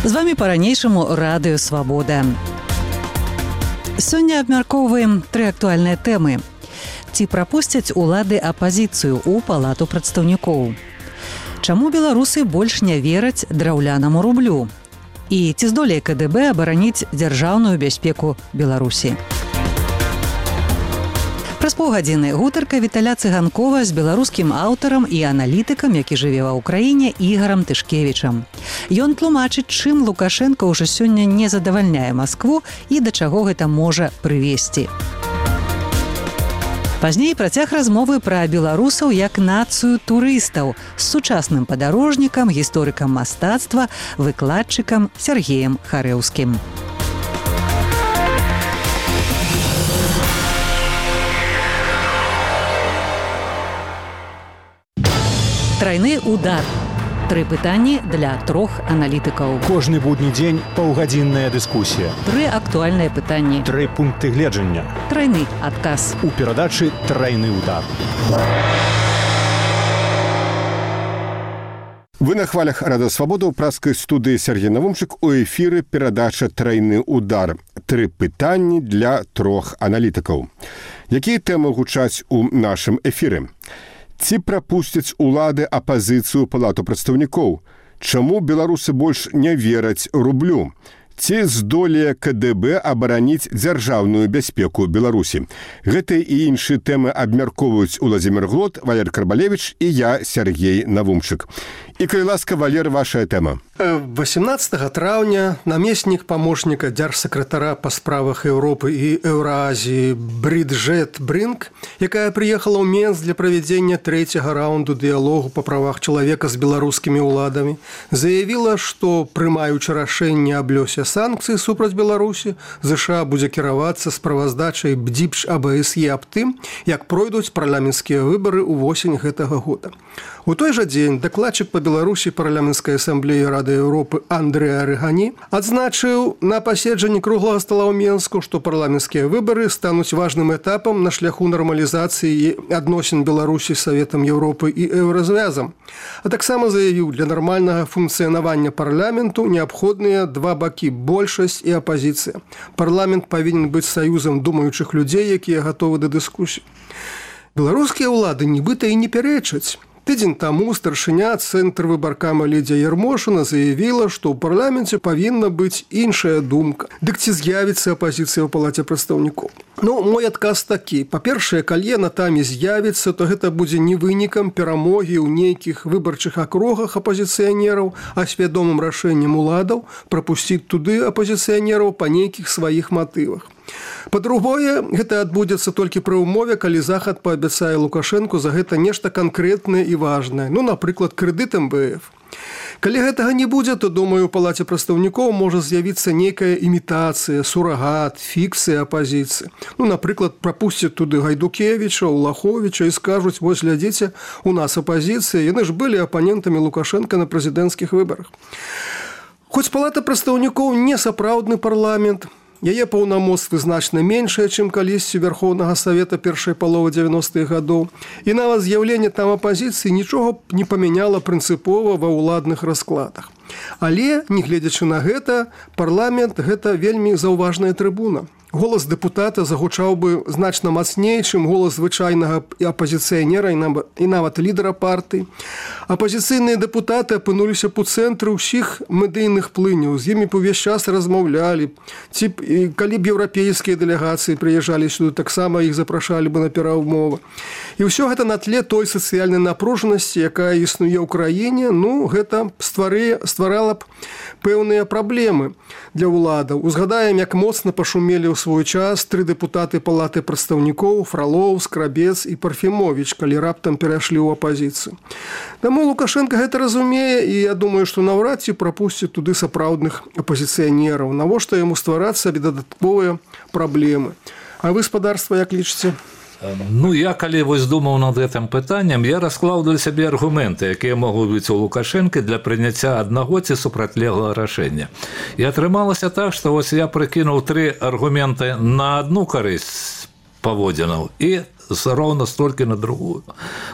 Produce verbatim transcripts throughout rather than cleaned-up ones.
З вами па-ранейшаму Радыё Свабода. Сёння абмяркоўваем тры актуальныя тэмы. Ці прапусцяць улады апазіцыю ў палату прадстаўнікоў? Чаму беларусы больш не вераць драўлянаму рублю? І ці здолее ка дэ бэ абараніць дзяржаўную бяспеку Беларусі? Праз паўгадзіны гутарка Віталя Цыганкова з беларускім аўтарам і аналітыкам, які жыве ва ўкраіне, Ігарам Тышкевічам. Ён тлумачыць, чым Лукашенко ўжо сёння не задавальняе Маскву і да чаго гэта можа прывесці. Пазней працяг размовы пра беларусаў як нацыю турыстаў з сучасным падарожнікам, гісторыкам мастацтва, выкладчыкам Сергеем Харэўскім. Трайны удар. Тры пытанні для трох аналітыкаў. Кожны будні дзень паўгадзінная дыскусія. Тры актуальныя пытанні. Тры пункты гледжання. Трайны адказ. У перадачы «Трайны удар». Вы на хвалях Радыё Свабода ў праскай студыі Сергей Навумчык, у эфіры перадача «Трайны удар». Тры пытанні для трох аналітыкаў. Якія тэмы гучаць у нашым эфіры? Ці прапусцяць улады апазіцыю палату прадстаўнікоў? Чаму беларусы больш не вераць рублю? Ці здолее ка дэ бэ абараніць дзяржаўную бяспеку Беларусі? Гэтыя і іншыя тэмы абмяркоўваюць Уладзімір Глот, Валер Карбалевіч і я, Сергей Навумчык. І, калі ласка, Валер, ваша тэма. восемнадцатага траўня намеснік памочніка дзяржсакратара па справах Еўропы і Еўразіі Брыджэт Брынк, якая прыехала ў Менск для правядзення трэцяга раунду дыялогу па правах чалавека з беларускімі ўладамі, заявіла, што, прымаючы рашэнне аб лёсе санкцый супраць Беларусі, ЗША будзе кіравацца справаздачай БДІПШ а бэ эс е аб тым, як пройдуць парламенцкія выбары ўвосень гэтага года. У той жа дзень дакладчык па Беларусі парламенцкай асамблеі Рады Еўропы Андрэй Арыгані адзначыў на паседжанні круглага стала ў Менску, што парламенцкія выбары стануць важным этапам на шляху нармалізацыі адносін Беларусі з Саветам Еўропы і Еўразвязам. А таксама заявіў, для нармальнага функцыянавання парламенту неабходныя два бакі – большасць і апазіцыя. Парламент павінен быць саюзам думаючых людзей, якія гатовы да дыскусій. Беларускія ўлады нібыта і не пярэчаць. Тыдзень таму старшыня цэнтр выбаркама Лідзія Ярмошына заявіла, што ў парламенце павінна быць іншая думка. Дык ці з'явіцца апазіцыя ў палаце прадстаўнікоў? Ну, мой адказ такі. Па-першае, калі яна там і з'явіцца, то гэта будзе не вынікам перамогі ў нейкіх выбарчых акругах апазіцыянераў, а свядомым рашэннем уладаў прапусціць туды апазіцыянераў па нейкіх сваіх матывах. Па-другое, гэта адбудзецца толькі пры ўмове, калі Захад паабяцае Лукашэнку за гэта нешта канкрэтнае і важнае, ну, напрыклад, крэдыт эм бэ эф. Калі гэтага не будзе, то, думаю, у палаце прадстаўнікоў можа з'явіцца нейкая імітацыя, сурагат, фікцыя апазіцыі. Ну, напрыклад, прапусцяць туды Гайдукевіча, Улаховіча і скажуць: вось, глядзіце, у нас апазіцыя, яны ж былі апанентамі Лукашэнка на прэзідэнцкіх выбарах. Хоць палата прадстаўнікоў не сапраўдны парламент, яе паўнамоцтвы значна меншыя, чым калісьці Верхоўнага Савета першай паловы дзевяностых гадоў, і нават з'яўленне там апазіцыі нічога не памяняла прынцыпова ва ўладных раскладах. Але, не гледзячы на гэта, парламент – гэта вельмі заўважная трыбуна. Голас дэпутата загучаў бы значна мацней, чым голас звычайнага апазіцыянера і нават лідара партыі. Апазіцыйныя дэпутаты апынуліся б у цэнтры ўсіх медыйных плыняў, з імі б увесь час размаўлялі. Ці калі б еўрапейскія дэлегацыі прыязджалі сюды, таксама іх запрашалі бы на перамовы. І ўсё гэта на тле той сацыяльнай напружанасці, якая існуе ў краіне, ну, гэта ствары, стварала б пэўныя праблемы для ўладаў. Узгадаем, як моцна пашумелі ў свой час тры дэпутаты палаты прадстаўнікоў: Фралоў, Скрабец і Парфімовіч, калі раптам перайшлі ў апазіцыю. Таму Лукашенко гэта разумее, і я думаю, што наўрад ці прапусціць туды сапраўдных апазіцыянераў. Навошта яму ствараць сабе дадатковыя праблемы? А вы, спадарства, як лічыце? Ну, я, калі вось думаў над гэтым пытаннем, я расклаў для сябе аргументы, якія могуць быць у Лукашэнкі для прыняцця аднаго ці супрацьлеглага рашэння. І атрымалася так, што вось я прыкінуў тры аргументы на адну карысць паводзінаў і роўна столькі на другую.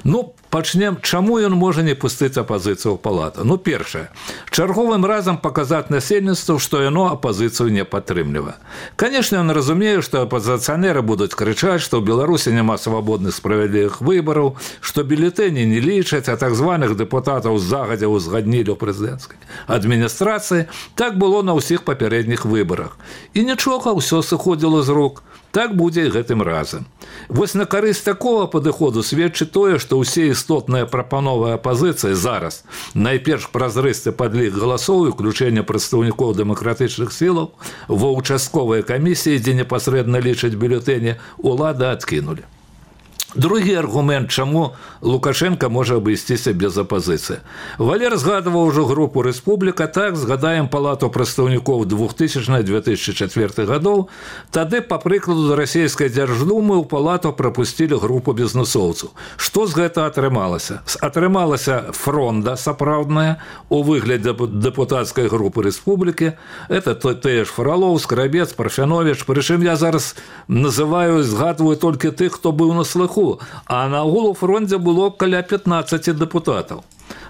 Ну, Пачнем, чаму ён можа не пусціць апазіцыю ў палату? Ну, першае, чарговым разам паказаць насельніцтву, што яно апазіцыю не падтрымлівае. Канешне, ён разумее, што апазіцыянеры будуць крычаць, што ў Беларусі няма свабодных справядлівых выбараў, што бюлетэні не лічаць, а так званых дэпутатаў загадзя ўзгаднілі ў прэзідэнцкай адміністрацыі. Так было на ўсіх папярэдніх выбарах. І нічога, ўсё сыходзіла з рук. Так будзе і гэтым разам. Вось на карысць такого падыходу сведчыць тое, што ўсе істотныя прапановы апазіцыі зараз, найперш празрысты падлік галасоў і ўключэнне прадстаўнікоў дэмакратычных сілаў ва ўчастковыя камісіі, дзе непасрэдна лічаць бюлетэні, улада адкінулі. Другі аргумент, чаму Лукашенко можа абысціся без апазіцыі. Валер згадываў ужо групу «Рэспубліка», так, згадаем палату прадстаўнікоў двухтысячнага - две тысячи четвёртых гадоў. Тады, па прыкладу расійскай дзярждумы, у палату прапусцілі групу бізнесоўцаў. Што з гэта атрымалася? Атрымалася фронда сапраўдная у выглядзе дэпутацкай групы «Рэспублікі». Это тыя ж Фролоў, Скрабец, Парфяновіч. Прычым я зараз называю, згадваю толькі тых, хто быў на слыху. А на агул у фронте было каля пятнаццаці дэпутатаў.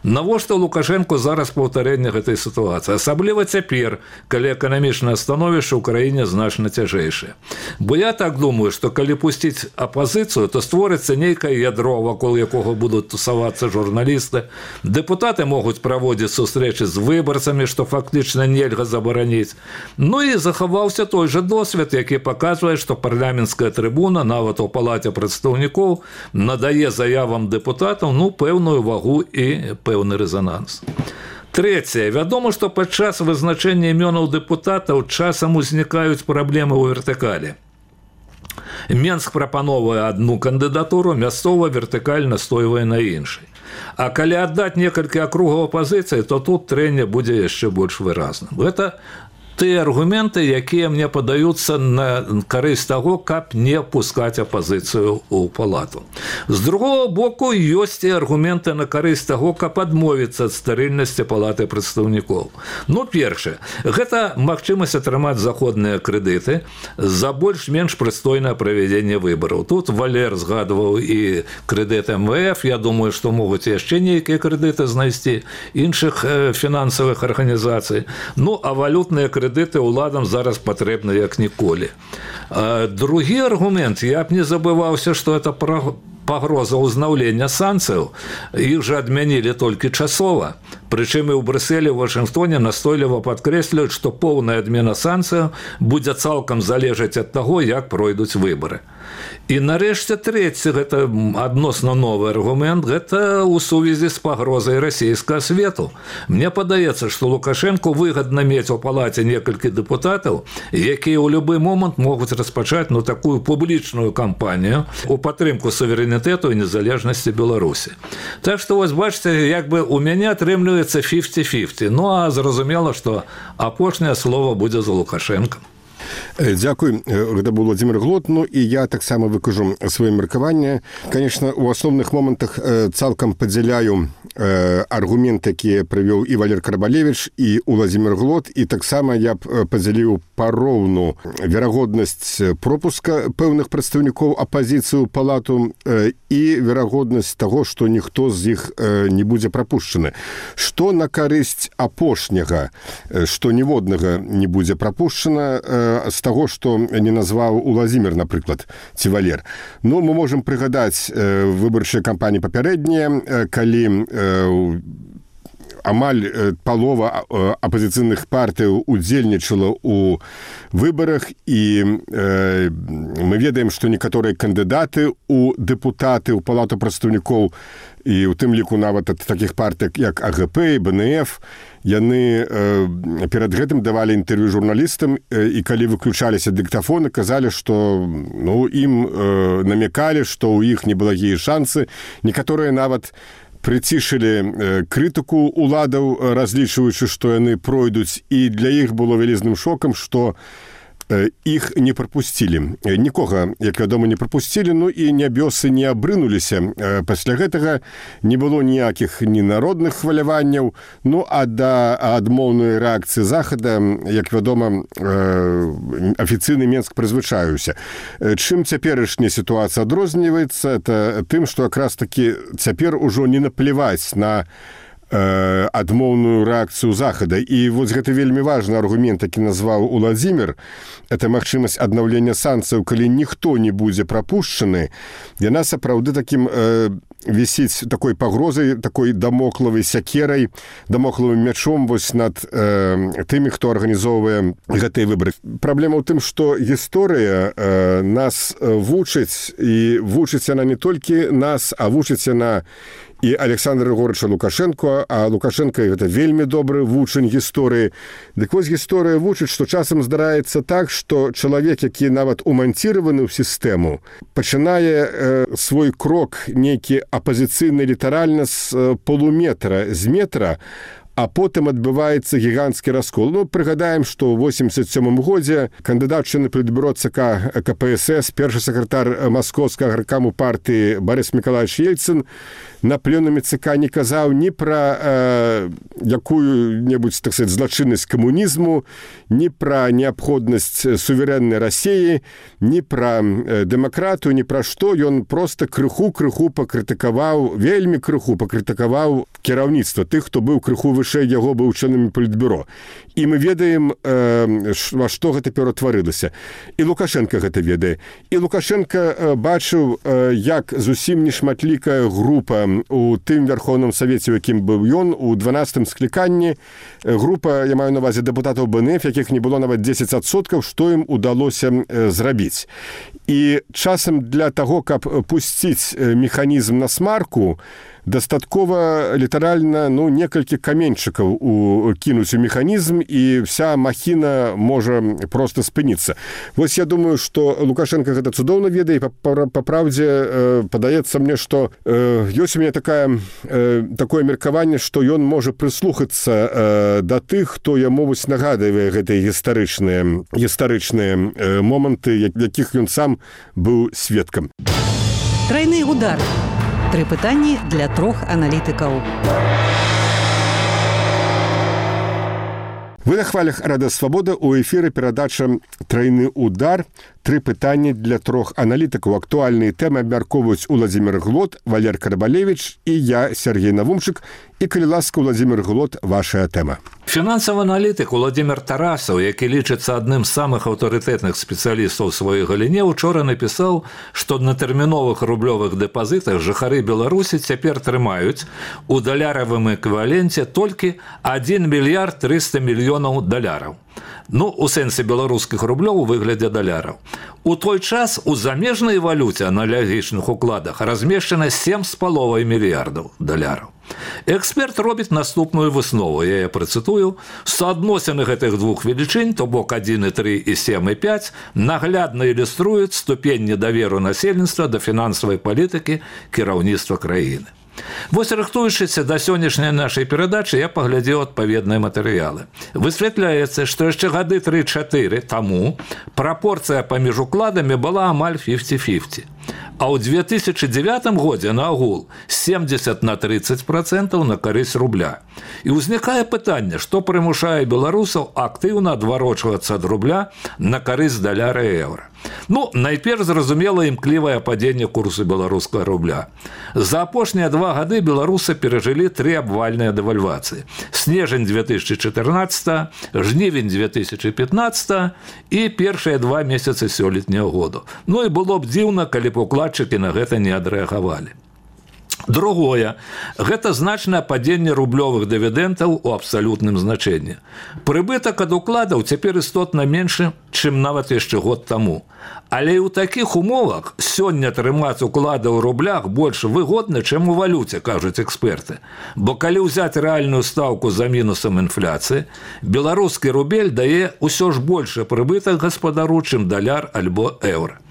Навошта Лукашенко зараз паўтарэнне гэтай сітуацыі? Асабліва цяпер, калі эканамічнае становішча ў краіне значна цяжэйшае. Бо я так думаю, што калі пусціць апазіцыю, то створыцца нейкае ядро, вакол якога будуць тусавацца журналісты. Дэпутаты могуць праводзіць сустрэчы з выбарцамі, што фактычна нельга забараніць. Ну і захаваўся той жа досвед, які паказвае, што парламенцкая трыбуна, нават у палаце прадстаўнікоў, надае заявам дэпутатаў, ну, пэўную вагу і пэўны рэзананс. Трэцяе. Вядома, што падчас вызначэння імёнаў дэпутатаў часам узнікаюць праблемы ў вертыкалі. Менск прапановвае адну кандыдатуру, мясцова вертыкаль настойвае на іншай. А калі аддаць некалькі акругаў апазіцыі, то тут трэнне будзе яшчэ больш выразным. Гэта тыя аргументы, якія мне падаюцца на карысць таго, каб не пускаць апазіцыю ў палату. З другого боку, ёсць і аргументы на карысць таго, каб адмовіцца ад стэрыльнасці палаты прадстаўнікоў. Ну, першае, гэта магчымасць атрымаць заходныя крэдыты за больш-менш прыстойнае правядзенне выбараў. Тут Валер згадваў і крэдыт эм вэ эф, я думаю, што могуць яшчэ нейкія крэдыты знайсці іншых фінансавых арганізацый. Ну, а валютныя крэдыты крэдыты ўладам зараз патрэбны як ніколі. Другі аргумент, я б не забываўся, што это пагроза ўзнаўлення санкцыяў. Іх жа адмянілі толькі часова. Прычым і ў Брюсселі, ў Вашынгтоне настойліва падкрэслююць, што поўная адмена санкцыяў будзе цалкам залежаць ад таго, як пройдуць выбары. І нарэшце трэці, гэта адносна новы аргумент, гэта ў сувязі з пагрозай расійскага свету. Мне падаецца, што Лукашенку выгадна мець у палаце некалькі дэпутатаў, якія ў любы момант могуць распачаць, ну, такую публічную кампанію у падтрымку суверэнітэту і незалежнасці Беларусі. Так што, вось бачыце, як бы у мяне атрымліваецца пяцьдесят на пяцьдесят. Ну, а зразумела, што апошняе слово будзе за Лукашенком. Дзякуй, гэта быў Владзімир Глот. Ну і я таксама выкажу сваё меркаванне. Конечно, у асноўных момантах цалкам падзяляю аргументы, якія прывёў і Валер Карбалевіч, і Владзімир Глот, і таксама я б падзяліў пароўну верагоднасць пропуска пэўных прадстаўнікоў апазіцыі ў палату і верагоднасць таго, што ніхто з іх не будзе прапушчаны. Што на карысць апошняга, што ніводнага не будзе прапушчана, з таго, што не назваў Владзімир, напрыклад, ці Валер. Ну, мы можам прыгадаць выбарчыя кампаніі папярэднія, калі амаль палова апазіцыйных партыяў удзельнічала ў выбарах, і э, мы ведаем, што некаторыя кандыдаты ў дэпутаты, ў палату прадстаўнікоў, і ў тым ліку нават ад такіх партый, як а гэ пэ і бэ эн эф, яны э, перад гэтым давалі інтэрв'ю журналістам, э, і калі выключаліся дыктафоны, казалі, што ну, ім э, намекалі, што ў іх неблагія шансы. Некаторыя нават прыцішылі крытыку ўладаў, разлічваючы, што яны пройдуць, і для іх было вялізным шокам, што іх не прапусцілі. Нікога, як вядома, не прапусцілі, ну і нябёсы не абрынуліся. Пасля гэтага не было ніякіх ні народных хваляванняў, ну а да адмоўнай рэакцыі захада, як вядома, афіцыйны Менск прызвычаіўся. Чым цяперашняя сітуацыя адрозніваецца, это тым, што якраз такі цяпер ужо не напляваць на адмоўную рэакцыю захада. І вось гэта вельмі важны аргумент, які назваў Уладзімір, это магчымасць аднаўлення санкцыяў, калі ніхто не будзе прапушчаны. Яна сапраўды такім э, вісіць такой пагрозай, такой дамоклавай сякерай, дамоклавым мячом вось над э, тымі, хто арганізоўвае гэтыя выбары. Праблема ў тым, што гісторыя э, нас вучыць, і вучыць яна не толькі нас, а вучыць яна і Александра Григорьевича Лукашенко, а Лукашенко гэта вельмі добры вучань гісторыі. Дык вось гісторыя вучыць, што часам здараецца так, што чалавек, які нават уманціраваны ў сістэму, пачынае э, свой крок нейкі апазіцыйны літаральна з э, полуметра, з метра, а потым адбываецца гіганцкі раскол. Ну, прыгадаем, што ў восемьдесят сёмым годзе кандыдат члены палітбюро ЦК КПСС, першы сакратар маскоўскага гаркаму партыі Борис Миколаевич Ельцин на пленуме ЦК не казаў ні пра э, якую-небудзь, так сказать, злачыннасць камунізму, ні пра неабходнасць суверэннай Расіі, ні пра э, дэмакратыю, ні пра што. Ён проста крыху-крыху пакрытыкаваў, вельмі крыху пакрытыкаваў кіраўніцтва тых, хто быў крыху вышэй яго, быў членамі палітбюро. І мы ведаем, э, во што гэта ператварылася. І Лукашенко гэта ведае. І Лукашенко э, бачыў, э, як зусім нешматлікая група у тым Верховным Савеце, у якім быў ён, у дванаццатым скліканні, група, я маю на увазе дэпутатаў БНФ, якіх не было нават дзесяць адсоткаў, што ім удалося зрабіць. І часам для таго, каб пусціць механізм на смарку, дастаткова літаральна, ну, некалькі каменьчыкаў кінуць у механізм, і вся махіна можа проста спыніцца. Вось я думаю, што Лукашенко гэта цудоўна ведае, і па, па праўдзе э, падаецца мне, што э, ёсць у мяне такая, э, такое меркаванне, што ён можа прыслухацца э, да тых, хто яму вось нагадывае гэтыя гістарычныя, гістарычныя э, моманты, якіх ён сам быў сведкам. Трайны удар. Тры пытанні для трох аналітыкаў. Вы на хвалях Радыё Свабода, у эфіры перадача «Трайны удар». Тры пытанні для трох аналітыкаў. Актуальныя тэмы абмяркоўваюць Уладзімір Глот, Валер Карабалевіч і я, Сергей Навумчык. І, калі ласка, Уладзімір Глот, вашая тэма. Фінансавы аналітык Уладзімір Тарасаў, які лічыцца адным з самых аўтарытэтных спецыялістаў у сваёй галіне, учора напісаў, што на тэрміновых рублёвых дэпазітах жыхары Беларусі цяпер трымаюць у даляравым эквіваленце толькі адзін мільярд трыста мільёнаў даляраў. Ну, у сэнсе беларускіх рублёў у выглядзе даляраў. У той час у замежнай валюце аналагічных укладах размешчана сем з паловай мільярдаў даляраў. Эксперт робіць наступную выснову, я яе працытую. Суадносіны гэтых двух велічынь, то бок адзін і тры і сем і пяць, наглядна ілюструюць ступень недаверу насельніцтва да фінансавай палітыкі кіраўніцтва краіны. Вось, рыхтуючыся да сённяшняй нашай перадачы, я паглядзеў адпаведныя матэрыялы. Высвятляецца, што яшчэ гады тры-чатыры таму прапорцыя паміж укладамі была амаль пяцьдзесят на пяцьдесят. А ў две тысячы дзевятым годзе наогул семьдесят на тридцать процентов на карысць рубля. І ўзнікае пытанне, што прымушае беларусаў актыўна адварочвацца ад рубля на карысць даляра і еўра. Ну, найперш зразумела імклівае падзенне курсу беларускага рубля. За апошнія два гады беларусы перажылі тры абвальныя дэвальвацыі. Снежань две тысячи чатырнаццатага, жнівень две тысячи пятнаццатага і першыя два месяцы сёлетняга году. Ну і было б дзіўна, калі б укладчыкі на гэта не адрэагавалі. Другое, гэта значнае падзенне рублёвых дывідэнтаў у абсалютным значэнні. Прыбытак ад укладаў цяпер істотна меншы, чым нават яшчэ год таму. Але і ў такіх умовах сёння трымаць уклады ў рублях больш выгодна, чым у валюце, кажуць эксперты. Бо калі ўзяць рэальную стаўку за мінусам інфляцыі, беларускі рубель дае ўсё ж большы прыбытак гаспадару, чым даляр альбо еўра.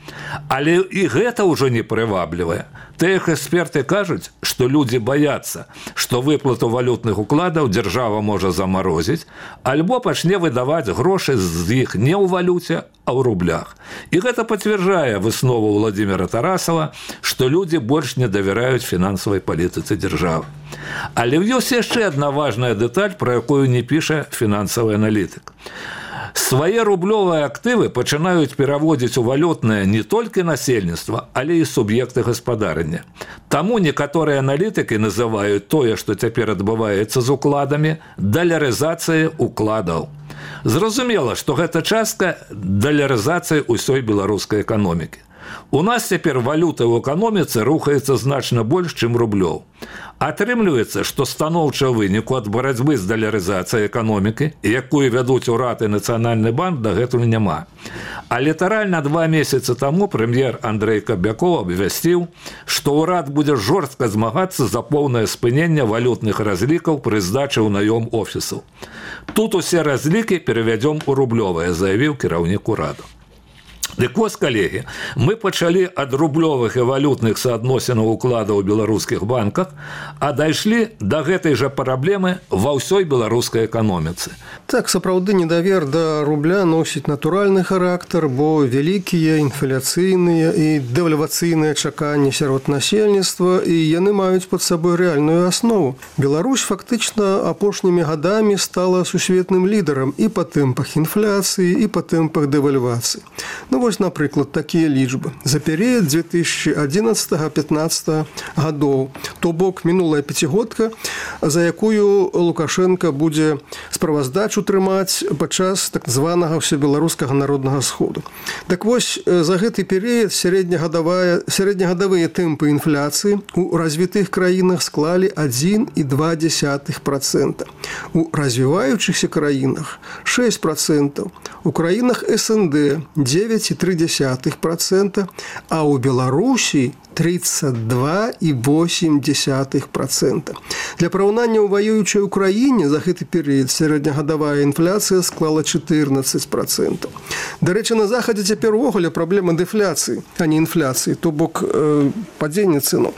Але і гэта ўжо не прываблівае. Тыя эксперты кажуць, што людзі баяцца, што выплату валютных укладаў дзяржава можа замарозіць, альбо пачне выдаваць грошы з іх не ў валюце, а ў рублях. І гэта пацвярджае выснову Владимира Тарасова, што людзі больш не давяраюць фінансавай палітыцы дзяржавы. Але ёсць яшчэ адна важная дэталь, пра якую не піша фінансавы аналітык. Свае рублёвыя актывы пачынаюць пераводзіць у валютнае не толькі насельніцтва, але і суб'екты гаспадарання. Таму некаторыя аналітыкі называюць тое, што цяпер адбываецца з укладамі, далярызацыяй укладаў. Зразумела, што гэта частка далярызацыі ўсёй беларускай эканомікі. У нас цяпер валюта ў эканоміцы рухаецца значна больш, чым рублёў. Атрымліваецца, што станоўчы выніку ад барацьбы з далярызацыяй эканомікі, якую вядуць урад і Нацыянальны банк, дагэтуль няма. А літаральна два месяцы таму прэм'ер Андрэй Кабякоў абвясціў, што ўрад будзе жорстка змагацца за поўнае спыненне валютных разлікаў пры здачы ў наём офісаў. Тут усе разлікі перавядзём у рублёвыя, заявіў кіраўнік ураду. Дык вось, калегі, мы пачалі ад рублёвых і валютных суадносінаў укладаў у беларускіх банках, а дайшлі да гэтай жа праблемы ва ўсёй беларускай эканоміцы. Так, сапраўды недавер да рубля носіць натуральны характар, бо вялікія інфляцыйныя і дэвальвацыйныя чаканні сярод насельніцтва, і яны маюць пад сабой рэальную аснову. Беларусь фактычна апошнімі гадамі стала сусветным лідарам і па тэмпах інфляцыі, і па тэмпах дэвальвацыі. Ну, вось, напрыклад, такія лічбы. За перыяд две тысячи одиннадцатого — пятнадцатого гадоў, то бок мінулая пяцігодка, за якую Лукашенко будзе справаздачу трымаць падчас так званага ўсебеларускага народнага сходу. Так вось, за гэты перыяд сярэднегадавыя тэмпы інфляцыі у развітых краінах склалі адзін і два дзесятых процента. У развіваючыхся краінах шэсць процентаў, у краінах эс эн дэ девять і тры дзесятых процента, а ў Беларусі тридцать два і восемь десятых процента. Для параўнання ў ваюючай Украіне за гэты перыяд сярэднегадавая інфляцыя склала чатырнаццаць процентаў. Дарэчы, на захадзе цяпер увогуле праблема дэфляцыі, а не інфляцыі, то бок э, падзення цэноў.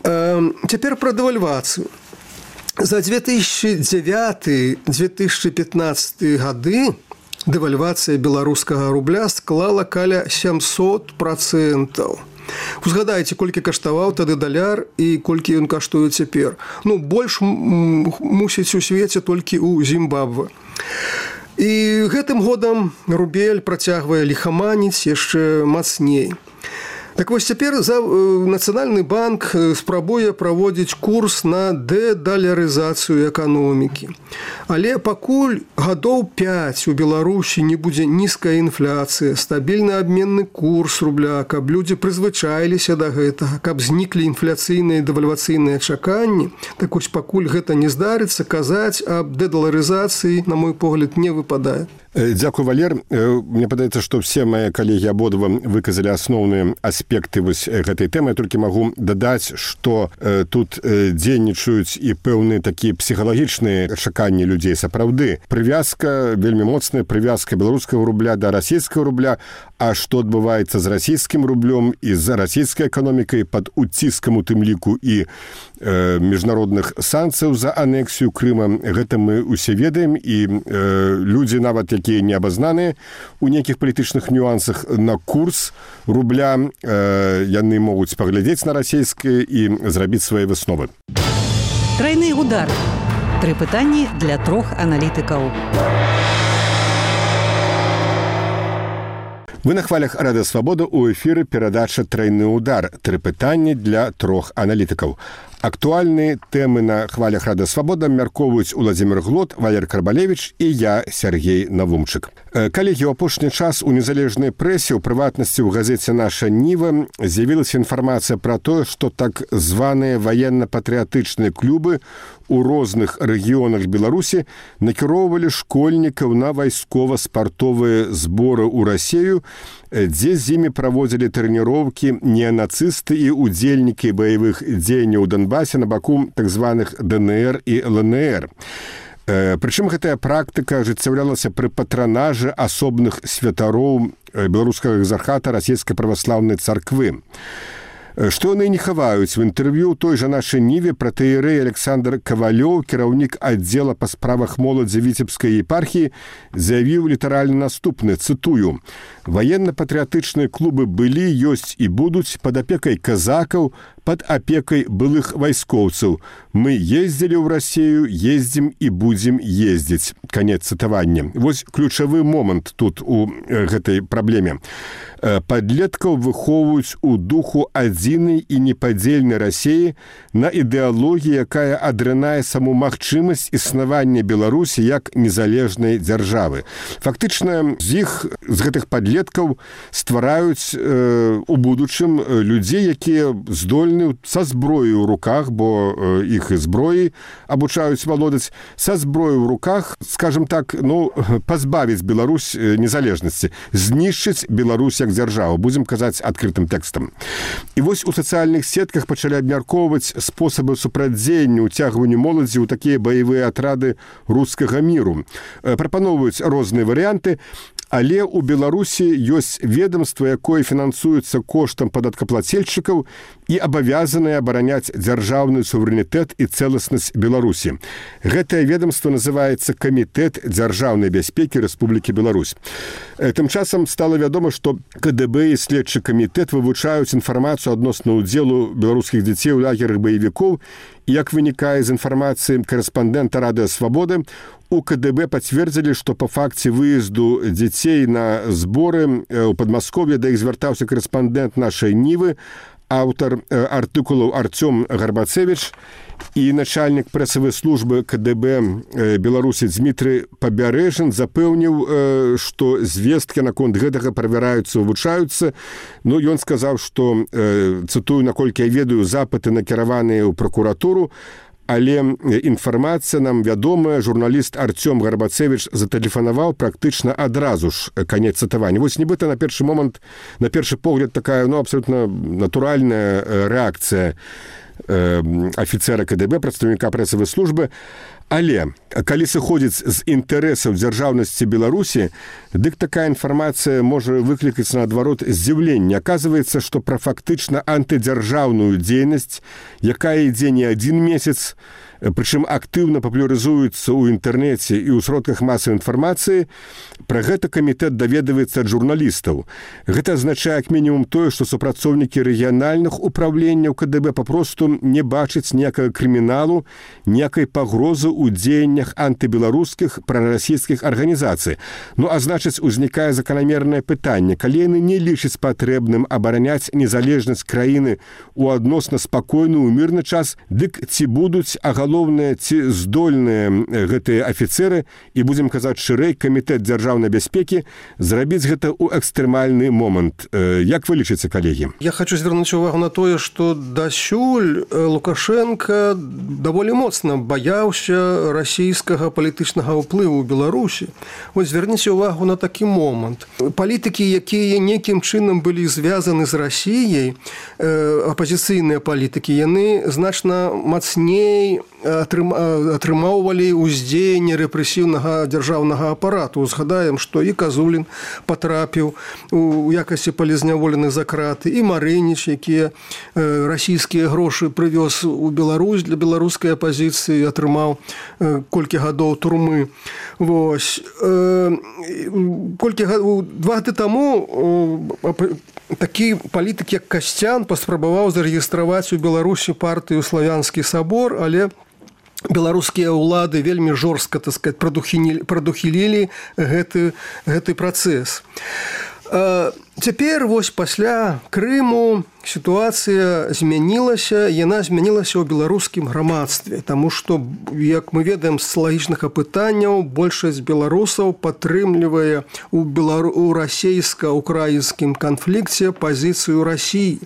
Э, цяпер пра дэвальвацыю. За две тысячи девятый — две тысячи пятнадцатый гады дэвальвацыя беларускага рубля склала каля сямсот процентаў. Узгадайце, колькі каштаваў тады даляр і колькі ён каштуе цяпер. Ну, больш мусіць у свеце толькі ў Зімбабве. І гэтым годам рубель працягвае ліхаманіць яшчэ мацней. Так вось цяпер за Нацыянальны банк спрабуе праводзіць курс на дэдалярызацыю эканомікі. Але пакуль гадоў пяць у Беларусі не будзе нізкая інфляцыя, стабільны абменны курс рубля, каб людзі прызвычаіліся да гэтага, каб зніклі інфляцыйныя і дэвальвацыйныя чаканні, так вось пакуль гэта не здарыцца, казаць аб дэдаларызацыі, на мой погляд, не выпадае. Дзякуй, Валер. Мне падаецца, што все мае калегі абодва выказалі асноўныя аспекты вось гэтай тэмы. Я толькі магу дадаць, што тут дзейнічаюць і пэўныя такія псіхалагічныя чаканні людзей. Сапраўды, прывязка, вельмі моцная прывязка беларускага рубля да расійскага рубля, а што адбываецца з расійскім рублём і з расійскай эканомікай пад уціскам у тым ліку і э, міжнародных санкцыяў за анексію Крыма, гэта мы усе ведаем, і э, людзі нават, якія не абазнаныя у нейкіх палітычных нюансах на курс рубля, э, яны могуць паглядзець на расійскае і зрабіць свае высновы. Трайны удар. Тры пытанні для трох аналітыкаў. Вы на хвалях Радыё Свабода, у эфіры перадача «Трайны удар». Тры пытанні для трох аналітыкаў. Актуальныя тэмы на хвалях Радыё Свабода мяркоўваюць Уладзімір Глот, Валер Карбалевіч і я, Сергей Навумчык. Калегі, у апошні час у незалежнай прэсе, у прыватнасці ў газеце «Наша Ніва» з'явілася інфармацыя пра тое, што так званыя ваенна-патрыятычныя клубы у розных рэгіёнах Беларусі накіроўвалі школьнікаў на вайскова-спартовыя зборы ў Расею, дзе з імі праводзілі трэніроўкі неанацысты і удзельнікі баявых дзеянняў у Донбасе на баку так званых ДНР і ЛНР. Прычым гэтая практыка ажыццяўлялася пры патранажы асобных святароў беларускага экзархата расійскай праваслаўнай царквы. Што яны не хаваюць. В інтэрв'ю той жа нашай ніве пратэерэй Александр Кавалёў, кіраўнік аддзела па справах моладзі віцебскай епархіі, заявіў літаральна наступны, цытую: «Ваенна-патрыятычныя клубы былі, ёсць і будуць пад апекай казакаў, пад апекай былых вайскоўцаў. Мы ездзілі ў Расію, ездзім і будзем ездзіць». Канец цытавання. Вось ключавы момант тут у гэтай праблеме. Падлеткаў выхоўваюць у духу адзінай і непадзельнай Расіі на ідэалогіі, якая адрынае саму магчымасць існавання Беларусі як незалежнай дзяржавы. Фактычна, з іх, з гэтых падлеткаў ствараюць э, у будучым людзей, якія здольны са зброяй у руках, бо э, іх і зброі абучаюць валодаць, са зброяй у руках, скажем так, ну, пазбавіць Беларусь незалежнасці, знішчыць Беларусь як дзяржаву, будзем казаць адкрытым тэкстам. І вось у сацыяльных сетках пачалі абмяркоўваць спосабы супрацьдзеяння ўцягванню моладзі ў такія баявыя атрады рускага міру. Прапаноўваюць розныя варыянты, але ў Беларусі ёсць ведомства, якое фінансуецца коштам падаткаплацельшчыкаў і абавязанае абараняць дзяржаўны суверэнітэт і цэласнасць Беларусі. Гэтае ведомство называецца Камітэт дзяржаўнай бяспекі Рэспублікі Беларусь. Тым часам стала вядома, што ка дэ бэ і следчы камітэт вывучаюць інфармацыю адносна ўдзелу беларускіх дзяцей у лагерах баевікоў, і, як вынікае з інфармацыі карэспандэнта Радыё Свабоды, у ка дэ бэ пацвердзілі, што па факце выезду дзяцей на зборы ў Падмасков'і, да іх звяртаўся карэспандэнт нашай нівы, аўтар артыкулаў Арцём Гарбацевіч, і начальнік прэсавай службы ка дэ бэ Беларусі Дмітрый Пабярэжын запэўніў, што звесткі наконт гэтага правяраюцца, вывучаюцца. Ну, ён сказаў, што, цытую, наколькі я ведаю, запыты накіраваныя ў пракуратуру, але інфармацыя нам вядомая. Журналіст Арцём Гарбацевіч затэлефанаваў практычна адразу ж, канец цытавання. Вось нібыта на першы момант, на першы погляд, такая, ну, абсолютна натуральная рэакцыя афіцэра ка дэ бэ, прадстаўніка прэсавай службы. Але, калі сыходзіць з інтарэсаў дзяржаўнасці Беларусі, дык такая інфармацыя можа выклікаць наадварот здзіўленне. Аказваецца, што пра фактычна антыдзяржаўную дзейнасць, якая ідзе не адзін месяц, прычым актыўна папулярызуецца ў інтэрнэце і ў сродках масавай інфармацыі, пра гэта камітэт даведваецца ад журналістаў. Гэта азначае як мінімум тое, што супрацоўнікі рэгіянальных управленняў ка дэ бэ папросту не бачаць ніякага крыміналу, ніякай пагрозы ў дзеяннях антыбеларускіх прарасійскіх арганізацый. Ну, а значыць, узнікае заканамернае пытанне, калі яны не лічаць патрэбным абараняць незалежнасць краіны ў адносна спакойны ў мірны час, дык ці будуць, а галоўнае, ці здольныя гэтыя афіцэры, і будзем казаць шырэй, камітэт дзяржаўнай бяспекі, зрабіць гэта ў экстрэмальны момант. Як вы лічыце, калегі? Я хочу звярнуць увагу на тое, што дасюль Лукашенко даволі моцна баяўся расійскага палітычнага ўплыву ў Беларусі. Вось звярніце ўвагу на такі момант. Палітыкі, якія некім чынам былі звязаны з Расіяй, апазіцыйныя палітыкі, яны значна мацней атрымоўвалі ўздзеянне рэпрэсіўнага дзяржаўнага апарату. Згадаем, што і Казулін патрапіў у якасці палізняволеных за краты, і Марыніч, якія расійскія грошы прывёз у Беларусь для беларускай апазіцыі, атрымаў колькі гадоў турмы. Вось. Колькі гадоў, два гады таму такі палітык, як Касцян, паспрабаваў зарэгістраваць у Беларусі партыю «Славянскі сабор», але беларускія ўлады вельмі жорстка, так сказать, прадухілілі гэты, гэты працэс. Цяпер, вось пасля Крыму, сітуацыя змянілася, яна змянілася ў беларускім грамадстве, таму што, як мы ведаем з лагічных апытанняў, большасць беларусаў падтрымлівае у, белару... у расійска-украінскім канфлікце пазіцыю Расіі.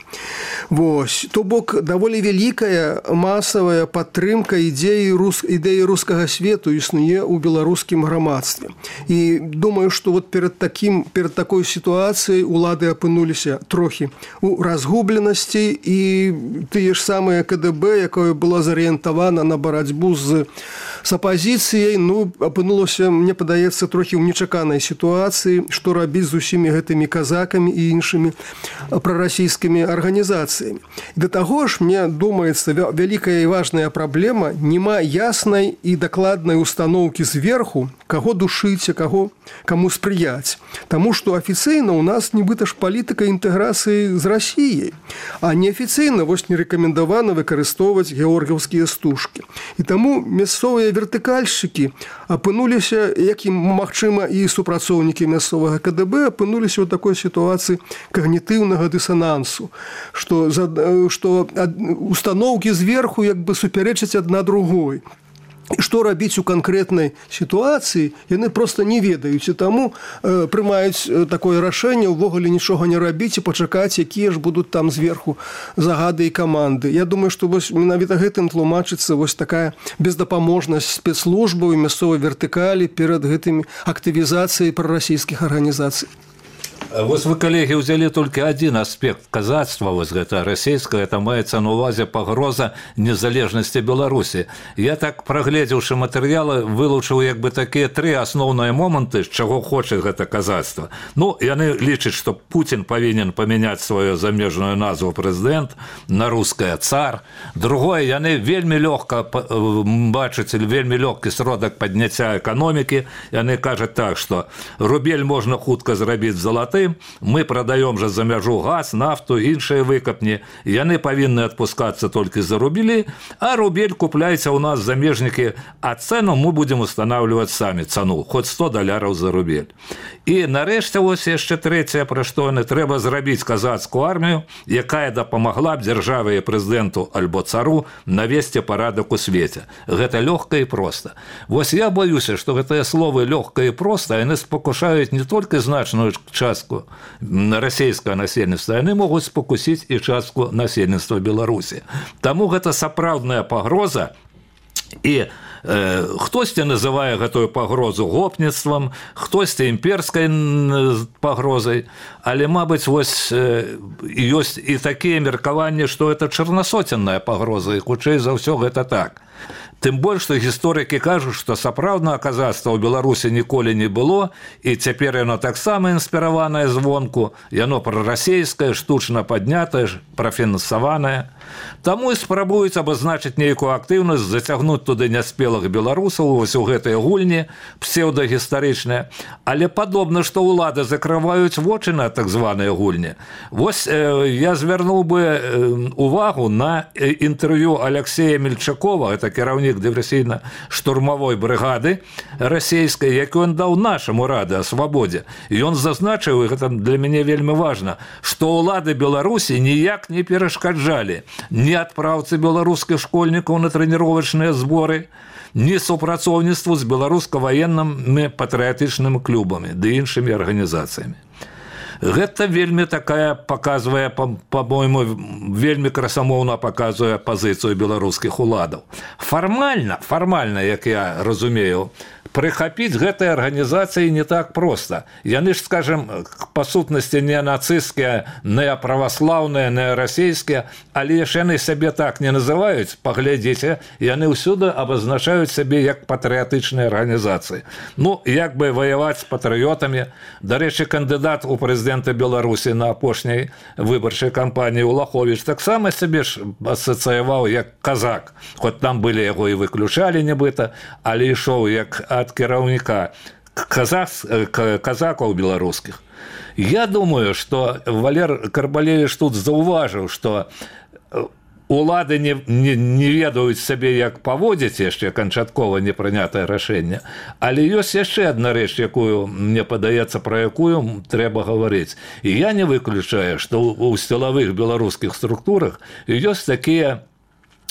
Вось. То бок, даволі вялікая масавая падтрымка ідеі, рус... ідэі рускага свету існуе ў беларускім грамадстве. І думаю, што вот перад, такім, перад такой сітуацыяй у улады апынуліся трохі у разгубленасці, і тыя ж самыя КДБ, якое было зарыентавана на барацьбу з, з апазіцыяй, ну, апынулася, мне падаецца, трохі ў нечаканай сітуацыі, што рабіць з усімі гэтымі казакамі і іншымі прарасійскімі арганізацыямі. Да таго ж, мне думаецца, вялікая і важная праблема, няма яснай і дакладнай установкі зверху, каго душыць, а каго каму спрыяць. Таму што афіцыйна ў нас нібыта ж палітыка інтэграцыі з Расіяй, а неафіцыйна вось не рэкамендавана выкарыстоўваць георгіўскія стужкі. І таму мясцовыя вертыкальшчыкі апынуліся, як і, магчыма, і супрацоўнікі мясцовага КДБ апынуліся ў такой сітуацыі когнітыўнага дысанансу, што, што установкі зверху як бы супярэчаць адна другой. І што рабіць у канкрэтнай сітуацыі, яны проста не ведаюць, і таму э, прымаюць такое рашэнне ўвогуле нічога не рабіць і пачакаць, якія ж будуць там зверху загады і каманды. Я думаю, што вось менавіта гэтым тлумачыцца вось такая бездапаможнасць спецслужбаў і мясцовай вертыкалі перад гэтымі актывізацыяй прарасійскіх арганізацый. Вось вы, калегі, ўзялі толькі адзін аспект казацтва, вось гэта расійскае, это маецца на ўвазе пагроза незалежнасці Беларусі. Я так, прагледзеўшы матэрыялы, вылучыў як бы такія тры асноўныя моманты, з чаго хоча гэта казацтва. Ну, яны лічаць, што Пуцін павінен памяняць сваю замежную назву прэзідэнт на рускае цар. Другое, яны вельмі лёгка бачаць, вельмі лёгкі сродак падняцця эканомікі. Яны кажуць так, што рубель можна хутка зрабіць залаты, мы прадаём жа за мяжу газ, нафту, іншыя выкапні. Яны павінны адпускацца толькі за рубелі, а рубель купляйце ў нас замежнікі, а цэну мы будзем устанаўліваць самі, цану, хоць сто даляраў за рубель. І нарэшце вось яшчэ трэцяе, пра што яны, трэба зрабіць казацкую армію, якая дапамагла б дзяржаве і прэзідэнту альбо цару навесці парадак у свеце. Гэта лёгка і проста. Вось я баюся, што гэтыя словы лёгка і проста, яны спакушаюць не толькі значную частку расійскага насельніцтва, яны могуць спакусіць і частку насельніцтва Беларусі. Таму гэта сапраўдная пагроза, і э, хтосьці называе гэтую пагрозу гопніцтвам, хтосьці імперскай пагрозай, але, мабыць, вось э, ёсць і такія меркаванні, што гэта чарнасоценная пагроза, і хутчэй за ўсё гэта так. Тым больш, што гісторыкі кажуць, што сапраўднага казацтва ў Беларусі ніколі не было, і цяпер яно таксама інспіраванае звонку, яно прарасійскае, штучна паднятае, прафінансаванае. Таму і спрабуюць абазначыць нейкую актыўнасць, зацягнуць туды няспелых беларусаў вось у гэтыя гульні псеўдагістарычныя, але падобна, што ўлады закрываюць вочы на так званыя гульні. Вось э, я звярнуў бы э, увагу на інтэрв'ю Алексея Мельчакова, это кіраўнік дыверсійна-штурмавой брыгады расійскай, які ён даў нашаму рады о свабодзе. І ён зазначыў, і гэта для мяне вельмі важна, што ўлады Беларусі ніяк не перашкаджалі ні адпраўцы беларускіх школьнікаў на трэніровачныя зборы, ні супрацоўніцтву з беларуска-ваеннымі патрыятычнымі клубамі ды іншымі арганізацыямі. Гэта вельмі такая паказвае, па-мойму, вельмі красамоўна паказвае пазіцыю беларускіх уладаў. Фармальна, фармальна, як я разумею, прыхапіць гэтыя арганізацыі не так проста. Яны ж, скажем, па сутнасці не нацысцкія, не праваслаўныя, не расійскія, але ж яны сябе так не называюць, паглядзіце, яны ўсюды абазначаюць сябе як патрыятычныя арганізацыі. Ну, як бы ваяваць з патрыётамі. Дарэчы, кандыдат у прэзідэнта Беларусі на апошняй выбарчай кампаніі Улаховіч таксама сябе ж асацыяваў як казак. Хоць там былі яго і выключалі нібыта, але ішоў як ад кіраўніка казакаў беларускіх. Я думаю, што Валер Карбалевіч тут заўважыў, што улады не, не, не ведаюць сабе, як паводзіць яшчэ канчаткова непрынятае рашэнне. Але ёсць яшчэ адна рэч, якую, мне падаецца, пра якую трэба гаварыць. І я не выключаю, што ў сілавых беларускіх структурах ёсць такія,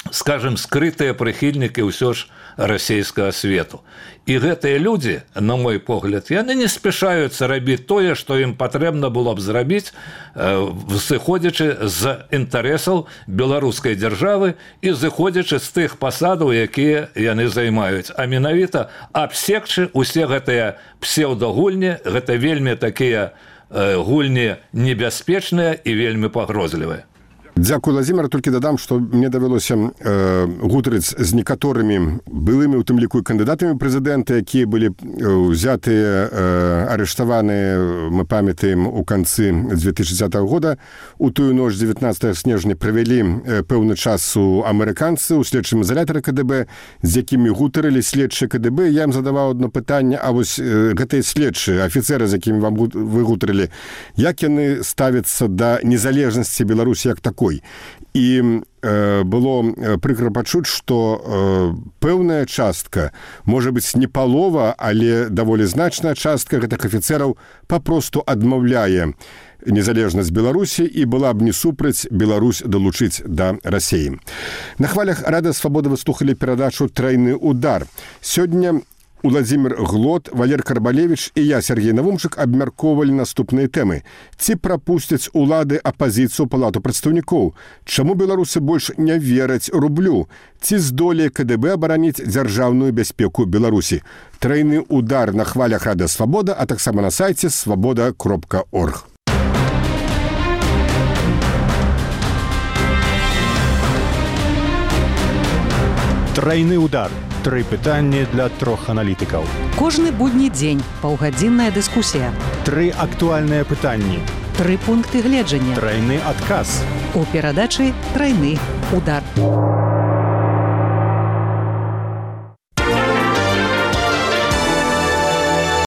скажем, скрытыя прыхільнікі ўсё ж расійскага свету. І гэтыя людзі, на мой погляд, яны не спяшаюцца рабіць тое, што ім патрэбна было б зрабіць, зыходзячы з інтарэсаў беларускай дзяржавы і зыходзячы з тых пасадаў, якія яны займаюць. А менавіта абсекчы усе гэтыя псеўдагульні, гэта вельмі такія гульні небяспечныя і вельмі пагрозлівыя. Дзякую, Владзімир. Толькі дадам, што мне давялося э, гутарыць з некаторымі былымі, у тым ліку і кандыдатамі прэзідэнта, якія былі ўзятыя, э, арыштаваныя, мы памятаем, у канцы две тысячи десятого года. У тую ноч девятнадцатого снежня правялі э, пэўны час у амерыканцы, у следчым изолятары ка дэ бэ, з якімі гутарылі следчыя ка дэ бэ. Я ім задаваў одно пытанне, а вось э, гэтыя следчыя, афіцэры, з якімі вам вы гутарылі, як яны ставяцца да незалежнасці Беларусі як такой? І э, было прыкра пачуць, што э, пэўная частка, можа быць, не палова, але даволі значная частка гэтых афіцэраў папросту адмаўляе незалежнасць Беларусі і была б не супраць Беларусь далучыць да Расіі. На хвалях Радыё Свабода вы слухалі перадачу «Трайны удар». Сёння Владзімир Глот, Валер Карбалевіч і я, Сергей Навумчык, абмяркоўвалі наступныя тэмы. Ці прапусцяць улады апазіцыю Палату прадстаўнікоў? Чаму беларусы больш не вераць рублю? Ці здолее ка дэ бэ абараніць дзяржаўную бяспеку Беларусі? Трайны удар на хвалях Радыё Свабода, а таксама на сайце свабода кропка орг. Трайны удар. Тры пытанні для трох аналітыкаў. Кожны будні дзень паўгадзінная дыскусія. Тры актуальныя пытанні. Тры пункты гледжання. Трайны адказ. У перадачы «Трайны удар».